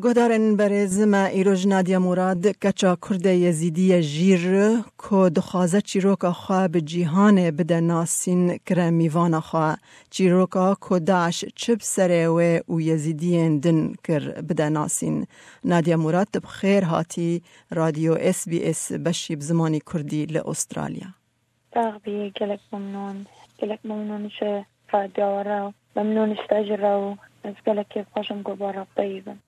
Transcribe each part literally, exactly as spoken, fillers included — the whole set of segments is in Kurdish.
Guhdarên berêz, me îroj Nadia Murad, keça Kurde Yezîdî ye Jîr, ku dixwaze çîroka xwe bi cîhanê bide nasîn, kire mîvana xwe. Çîroka ku DAIŞ çi bi serê wê û Yezîdiyên din kir bide nasîn. Nadia Murad, tu bi xêr hatî Radyo S B S beşî bi zimanî Kurdî li Australya. Sax bî, gelek memnûn. Gelek memnûn ji radyoya we re. Memnûn ji te jî re û ez gelek kêfxweş im ku bi we re bi peyivim.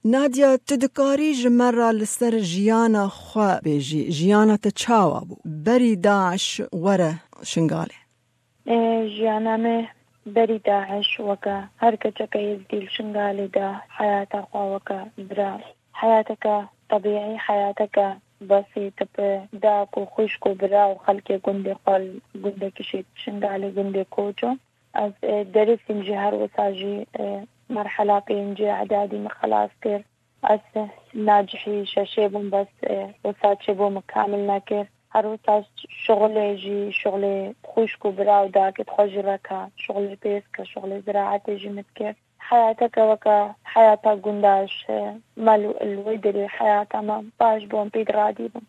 Nadia, tu dikarî ji me re li ser jiyana xwe bêjî, jiyana te çawa bû berî DAIŞ were Şingalê? Ê, jiyana me berî DAIŞ weke her keçeke Êzdî li Şingalê de heyata xwe weke bira. Heyateke tebîî, heyateke besît bi dayik û xwişk û bira û xelkê gundê xwe li gundekî şêt Şingalê, gundê Koço. Ez, e, derîsîm jî her wisa jî, e, merhela pêncê îdadî min xelas kir. Ez, e, nacihî şeşê bûm, bes, e, wisa çêbû min kamil nekir. Her wisa şixulê jî, şixulê xwişk û bira û dakê xwe jî reka, şixulê pêsk, şixulê ziraetê jî min dikir. Heyateke weke heyata gunda ji me li, li wê derê heyata me baş bû, em pê diradîbin.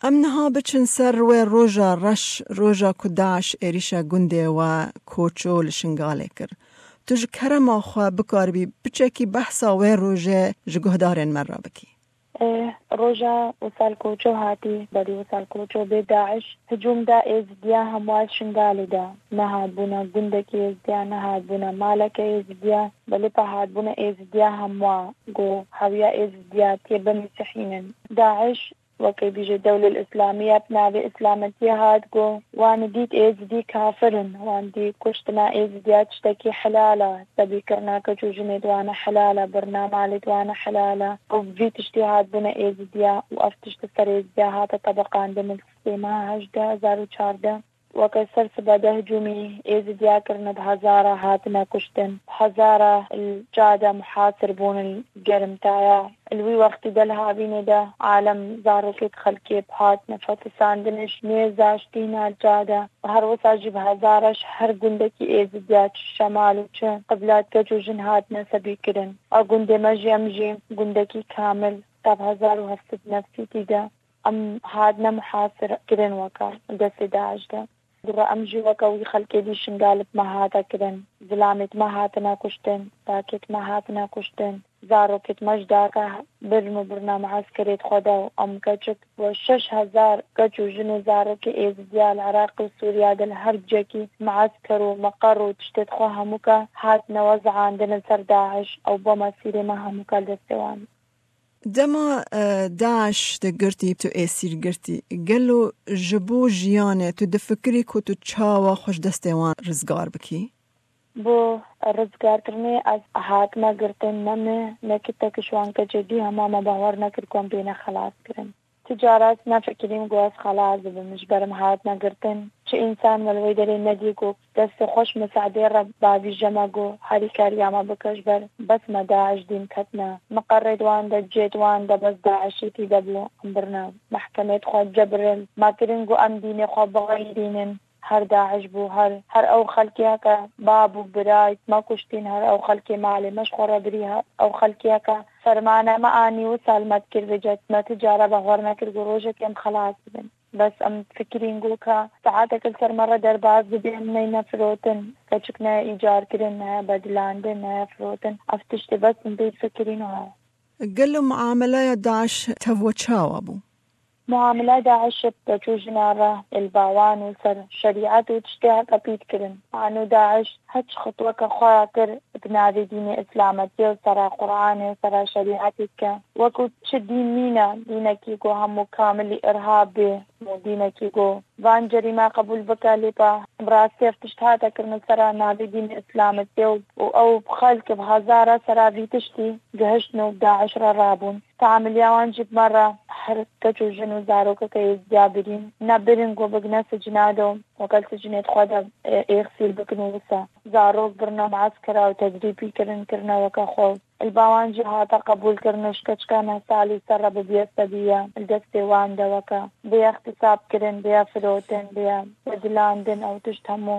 Em niha biçin ser wê roja reş, roja ku DAIŞ êrîşa gundê we Koço li Şingalê kir. Tu ji kerema xwe bikaribî piçekî behsa wê rojê ji guhdarên me re bikî? Ê, roja wisa li Koço hatî, berî wisa li Koço bê DAIŞ hicûm da Êzidiya hemwa Şingalê de. Nehatbûna gundekî Êzidiya, nehatbûna maleke Êzidiya, belê pe hatbûna Êzidiya hemwa, ku hewiya Êzidiya tê bimîsihînin. DAIŞ, wekî bîje Dewlel Îslamiye, bi navê Îslametiyê hat, ku wan dît Êzidî kafir in, wan dît kuştina Êzidiya tiştekî helal e, sebîkirina keç û jinê di wan e helal e, birina malê di wan e helal e. Û vî tiştî hatbûne Êzidiya û ev tişt li ser Êzidiya hate tebiqandin li sêma hejdeh hezar û çardeh. Weke ser sibe de hicûmî Êzidiya kirine, bi hezara hatine kuştin, bi hezara li ca de muhasir bûn, li germtaya. Li wî wextî de li havînê de alem zarokê xelkê bi hatine fetisandin, ji nêza ji tîna li ca de. Her wisa jî bi hezara ji her gundekî Êzidiya, çi şemal û çi qiblat, keç û jin hatine sebîkirin. A gundê me jî, em jî gundekî kamil, ta bi hezar û heft sed nefsîtî de. Em hatine muhasir kirin weke destê DAIŞ de. Dûre em jî weke wî xelkê dî Şingalê bi me hate kirin. Zilamêt me hatine kuştin, dakêt me hatine kuştin. Zarokêt me ji daka birin û birina mueskerêt xwe de û em keçik we şeş hezar keç û jin û zarokê Êzidiya li Iraq û Sûriya de li her cekî muesker û meqer û tiştêt xwe hemûka hatine wezandin li ser DAIŞ. Ew bo mesîrê me hemûka li destê wan. Dema, e, DAIŞ te girtî, tu êsîr girtî, gelo ji bo jiyanê tu difikirî ku tu çawa xwe ji destê wan rizgar bikî? Bo rizgarkirinê ez hatime girtin, ne min, ne kitek ji wan keçê dî, hema me bawer nekir ku em bêne xelas kirin. Tu cara ez nefikirîm ku ez xelas dibim, ji ber em hatine girtin. Çi însan me li wê derê nedî ku destê xwe ji misadê re bavîje me, ku harîkariya me bike, ji ber bes me DAIŞ dîm ketine. Meqerê di wan de, cihê di wan de bes DAIŞî tî de bû, em birine mehkemê, dixwe cebirîn me kirin ku em dînê xwe bixeyirînin. Her DAIŞ bû, her, her ew xelkiyeke bab û birayt me kuştîn, her ew xelkê malê me ji xwe re birî, her ew xelkiyeke fermana me anî wisa li me dikir vêca, me ti cara bawer nekir ku rojekê em xelas dibin. Bes em fikirîn ku ka saetek li ser me re derbas dibê, em neyne firotin, keçik neye îcarkirin, neye bedilandin, neye firotin. Ev tiştê bes em pê fikirîn û he. Gelo muameleya DAIŞ tev we çawa bû? Muamela DAIŞ bi keç û jinan re, li ba wan û ser şerîet û tiştê heke pît kirin. Wan û DAIŞ her çi xitweke xwe ya kir bi navê dînê Îslametiyê û sera Quranê û sera şerîetê dike. Wekû çi dîn nîne, dînekî ku hemû kamilî îrhab bê û dînekî ku van cerîme qebûl bike, lê pa bi rastî ev tişt hate kirin li sera navê dînê Îslametiyê û, û ew bi xelk bi hezara sera vî tiştî gihiştin û bi DAIŞ re rabûn. Teamiliya wan jî bi me re her keç û jin û zarokeke Êzidiya birîn, ne birin ku bigine sicna de û weke li sicnê xwe de, e, êxsîr bikin û wisa. Zarok birine mueskera û tedrîbî kirin, kirine weke xwe. Li ba wan jî hate qebûlkirin û ji keçika neh salî ser re bibiye sebiye, li destê wan de weke bê îxtîsabkirin, bê firotin, bê bedilandin, ew tişt hemû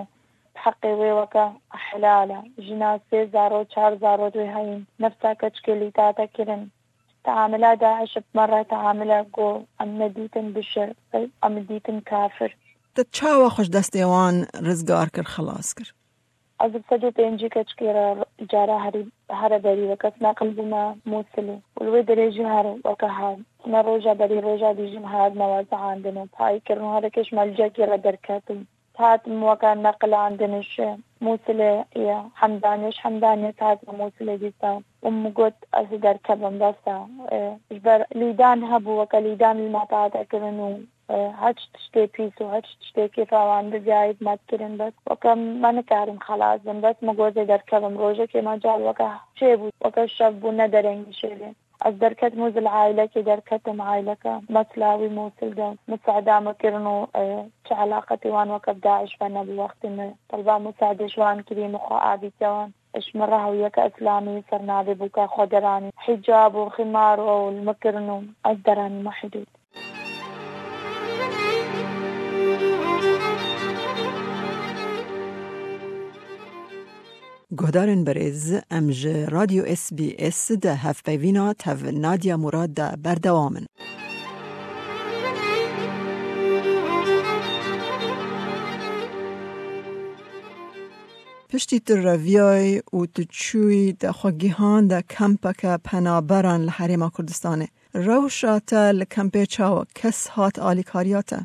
bi heqê wê weke helal e. Jina sê zaro, çar zaro dê heyîn. Nefsa keçikê lî tate kirin. Teamila DAIŞ bi me re teamile ku em nedîtin bişir, em dîtin kafir. Te çawa xwe ji destê wan rizgar kir, xilas kir? Ez bi sed û pêncî keçikê re cara herî, here berî weke neqil bûme Mûsilê. Û li wê derê jî her weke her ne roja berî roja dî jî me hatine wezihandin û payî kirin û herekê ji me li cekî re derketin. Hatim weke neqilandin ji Mûsilê ya Hemdaniyê, ji Hemdaniyê hatime Mûsilê dîsa. Û min got, ez ê derkevim, bes e. E, ji ber lîdan hebû, weke lîdan li me tate kirin û, e, heç tiştê pîs û heç tiştê kêfa wan bibiyayî bi me dikirin, bes weke me nikarin xelas bin, bes min got, ez ê derkevim. Rojekê me car weke çêbû, weke şev bû, ne derengî şevê. Ez derketim û zil aîlekê derketim, aîleke Meslawî Mûsil de misada me kirin û, e, çi elaqetê wan weke bi DAIŞ ve nebû. Wextê me telba misadê ji wan kirî, min xwe avîtiye wan. Ji min re hewiyeke îslamî ser navê bûka xwe deranî. Hicab û ximar û ew li min kirin û ez deranîme hidûd. Guhdarên berêz, em ji Radyo S B S de hevpeyvîna tev Nadia Murad de berdewam in. Piştî tu reviyayî û tu çûyî te xwe gihande kempeke penaberan li Herêma Kurdistanê. Rewşa te li kempê çawa? Kes hat alîkariya te?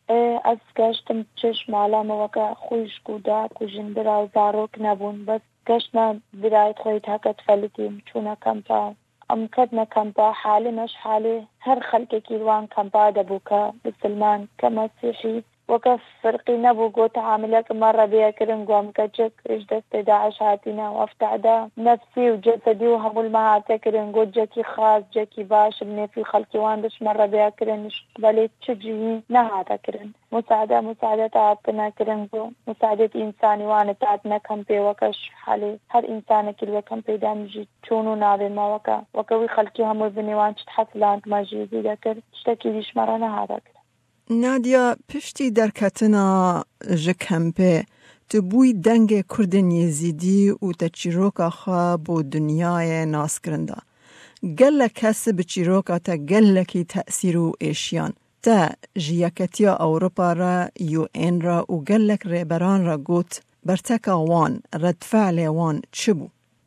Ê, ez geştim çi ji mala me weke xwişk û dayik û jin bira û zarok nebûn. Bes geştime birayê xwe yê heke difelitîm, çûne kempa. Em ketine kempa, halê me ji halê her xelkekî li wan kempa de bû, ke bisilman, ke mesîhî. Weke firqî nebû, got, teamilek me re bêye kirin, got, em keçik ji destê DAIŞ hatîne û ev tehda nefsî û cesedî û hemû li me hate kirin, got, cekî xas, cekî baş, bi nêfî xelkê wan de ji me re bêye kirin, ji qibelê çi cihî nehate kirin. Musade, musade te hatine kirin, got, musadê însanî wan e, te hatine kempê weke ji halê her însanekî li wê kempê de em jî çûn û navê me weke, weke wî xelkî hemû binê wan çi dihefiland me jî zîde kir, tiştekî dî ji me re nehate kirin. Nadia, piştî derketina ji kempê, tu bûyî dengê Kurdên Yezîdî û te çîroka xwe bo dinyayê nas kirin da. Gelek kes bi çîroka te gelekî tesîr û êşiyan. Te ji Yeketiya Ewropa re, U N re û gelek rêberan re got, berteka wan, redfe'lê wan çi bû?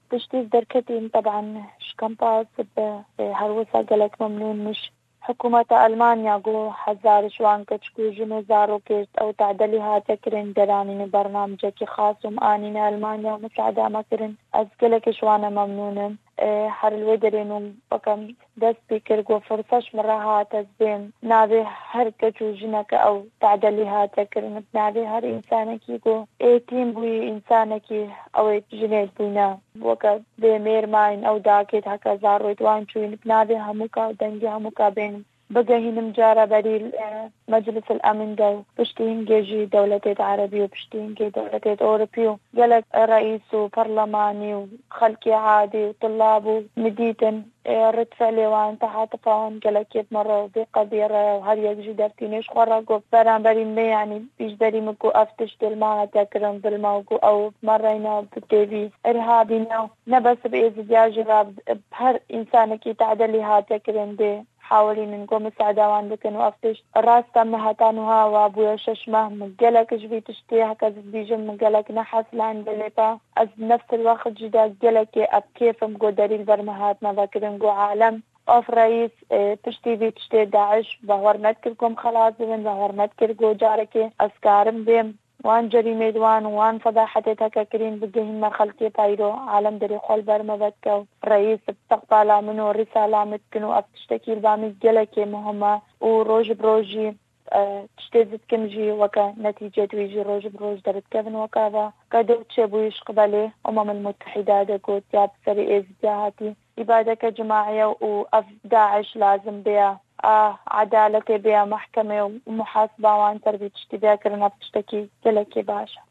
Piştî ez derketîm, teban ji kampa sibê, e, her wisa gelek memnûn min ji Hikûmeta Elmanya ku hezar ji wan keçik û jin û zarokê ew tedelî hate kirin, deranîn û bernamecekî xas û min anîne Elmanya û misada me kirin. Ez gelekî ji wan e memnûn im. E, her li wê derê nû weke min dest pê kir ku firse ji min re hat ez bêm navê her keç û jineke ew tedelî hate kirin, bi navê her însanekî ku êtîm bûyî, însanekî ew ê jinê bûyne, weke bê mêr mayîn, ew dakê heke zarokê wan çûyîn, bi navê hemûka û dengê hemûka bên bigehînim cara berî, e, Meclis el Emin de û piştî hingê jî dewletê Erebî û piştî hingê dewletê Ewropî û gelek reîs û perlemanî û xelkê adî û tulab û min dîtin, e, ridfe'lê wan, tehatifa wan gelekê bi min re û bê qedî re û her yek jî dertînê ji xwe re got beramberî min, yanî pêşberî min ku ev tiştê li me hate kirin, bil me û ku ew bi me re ne, bi têvî irhabî ne. Ne bes bi êzidiya jî re, bi her însanekî tedelî hate kirin dê hawilînin ku misada wan bikin û ev tişt rast e. Min heta niha wa bûye şeş meh, min gelek ji vî tiştê, heke ez dibîjim, min gelek nehesilande, lê pa ez nefs el wext jî de gelekê ev kêf im ku derî li ber min hatine vekirin, ku alem, ev reîs, e, piştî vî tiştê DAIŞ bawer nedikir ku em xelas bibin, bawer nedikir ku carekê ez karim bêm wan cerîmê di wan û wan fedahetê teke kirîn bigihînme xelkê, peyro alem derê xwe li ber me vedike û reîs bi istiqbala min û rîsala min dikin û ev tiştekî li ba min gelekê muhim e û roj bi roj jî, e, tiştê ez dikim jî weke netîcê di wî jî roj bi roj derditkevin weke ve. Qedo çêbûyî ji qibelê Umem el Mutehîda de got ya bi serê êzidiya hatî îbadeke cimaî ye û ev DAIŞ lazim bêya a edaletê bêya mehkemê û muhasiba wan ser vî tiştî bêya kirin, ev tiştekî gelekî baş e.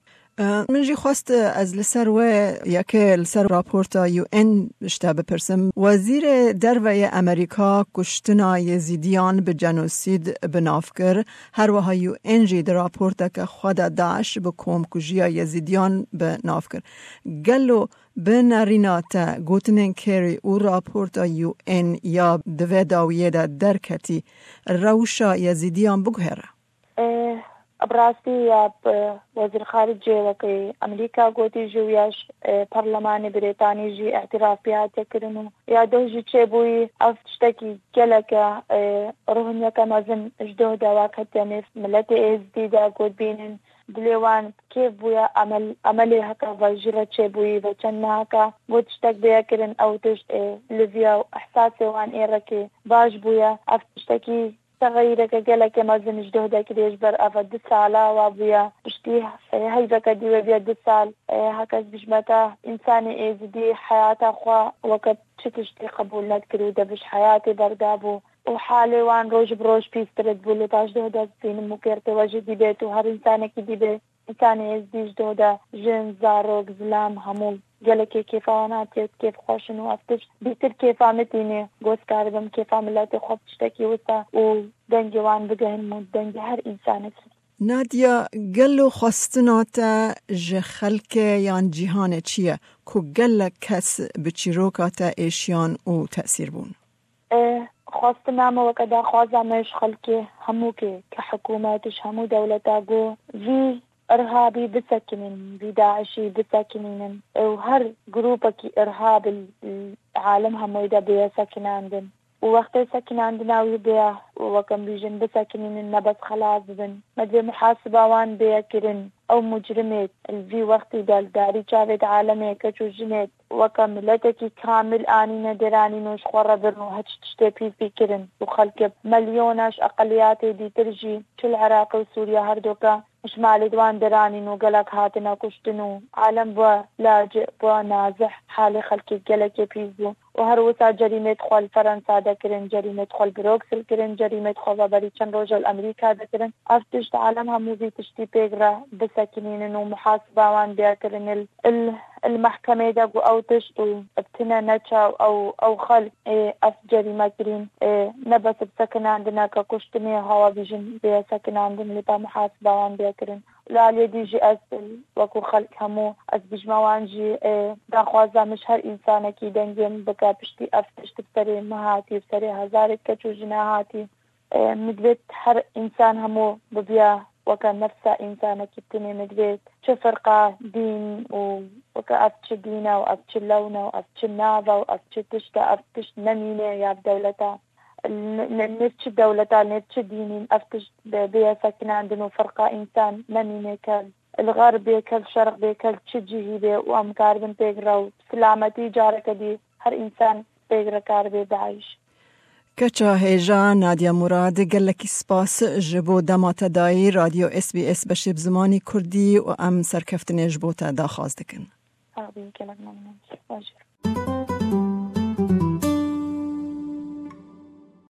Min jî xwest ez li ser wê yekê, li ser raporta U N ji te bipirsim. Wezîrê Derve yê Amerîka kuştina Yezîdiyan bi cenosîd bi nav kir. Her wiha U N jî di raporteke xwe de DAIŞ bi komkujiya Yezîdiyan bi nav kir. Gelo bi nerîna te gotinên Kerry û raporta U N ya di vê dawiyê de derketî, rewşa Yezîdiyan biguhere? Ê, bi rastî ya, bi Wezîr Xaricê wekî Amerîka gotî jî û ya ji, ê, Perlemanê Brîtanî jî îtiraf pê hatiye kirin û ya doh jî çêbûyî, ev tiştekî gelek e, ê, ruhineke mezin ji doh de wek hatiye nêv miletê Êzidî de got bînin, dilê wan kêf bûye, emel, emelê heke ve jî re çêbûyî ve çend meheke got tiştek bêye kirin, ew tişt, ê, li viya û ihsasê wan ê rekê baş bûye. Ev tiştekî Texeyireke gelekê mezin ji doh de kirî ji ber eva du sala wa bûye. Piştî, e, heyveke dî wê bûye du sal. E, heke ez bijmete, însanê êzidî heyata xwe weke çi tiştî qebûl nedikir û de bi ji heyatê berdabû. Û halê wan roj bi roj pîstir dibû. Lê paş doh de dibînim û kêrtê we jî dî bêt û her însanekî dî bê. Însanê êzidî ji doh de jin, zarok, zilam, hemû gelekê kêfa wan hatiye, kêf xweş in û ev tişt bîtir kêfa min tînê. Got karibim kêfa miletê xwe bi tiştekî wisa û dengê wan bigehin û dengê her însanekî. Nadia, gelo xwestina te ji xelkê yan cîhanê çi ye ku gelek kes bi çîroka te êşiyan û tesîr bûn? E, xwestina me weke daxwaza me ji xelkê hemûkê, ke hikûmet, ji hemû dewleta, got vî irhabî bisekinînin, vî DAIŞî bisekinînin. E, û her grûpekî irhab li, li alem hemûyê de bêye sekinandin. Û wextê sekinandina wî bêye, weke em bîjin, bisekinînin, ne bes xelas bibin. Me divê muhasiba wan bêye kirin. Ew mucrimê li vî wextî de li darî çavê di alemê keç û jinê weke miletekî kamil anîne dêranîn û ji xwe re birin û hiç tiştê pîs pî kirin û xelkê milyona ji eqeliyatê dîtir jî çi li Iraqê û Sûriye her doke ji malê di wan dêranîn û gelek hatine kuştin û alem bû laci'î, bû nazih, halê xelkê gelekê pîs bû. û her wisa cerîmêt xwe li Ferensa de kirin, cerîmêt xwe li Bruksel kirin, cerîmêt xwe veberî çend roja li Amerîka de kirin. Ev tişt alem hemû vî tiştî pêk re bisekinînin û muhasiba wan bêya kirin il, il, il mehkemê de ku ew tişt û bi tine neçaw ew, ew xelk ê ev cerîme kirîn, ê ne bes bi sekinandineke kuştinê hawa bîjin bêya sekinandin lê pa muhasiba wan bêya kirin. Li aliyê dî jî ez wekû xelk hemû ez bijme wan jî, e, daxwaza min ji her însanekî dengê min bike piştî ev tişt bi serê min hatî, bi serê hezarê keç û jina hatî. E, min divêt her însan hemû bibiya weke nefsa însanekî tinê min divêt. Çi firqa, dîn û weke ev çi dîn e û ev çi lewn e û ev çi nav e û ev çi tişt e, ev tişt nemîne ya bi dewleta. N-, n-, nêv çi dewleta, nêv çi dînîn, ev tişt bê-, bêye sekinandin û firqa însan nemîne ke li xerbê, ke li şerq bê, ke li çi cihî bê û em karibin pêk re û silametî careke dî her însan pêk re karibe DAIŞ. Keça hêja Nadia Murad, gelekî spas ji bo dema te dayî Radyo S B S beşê bi zimanî Kurdî û em serkeftinê ji bo te daxwaz dikin. Sax bî, gelek memnûn. Baş.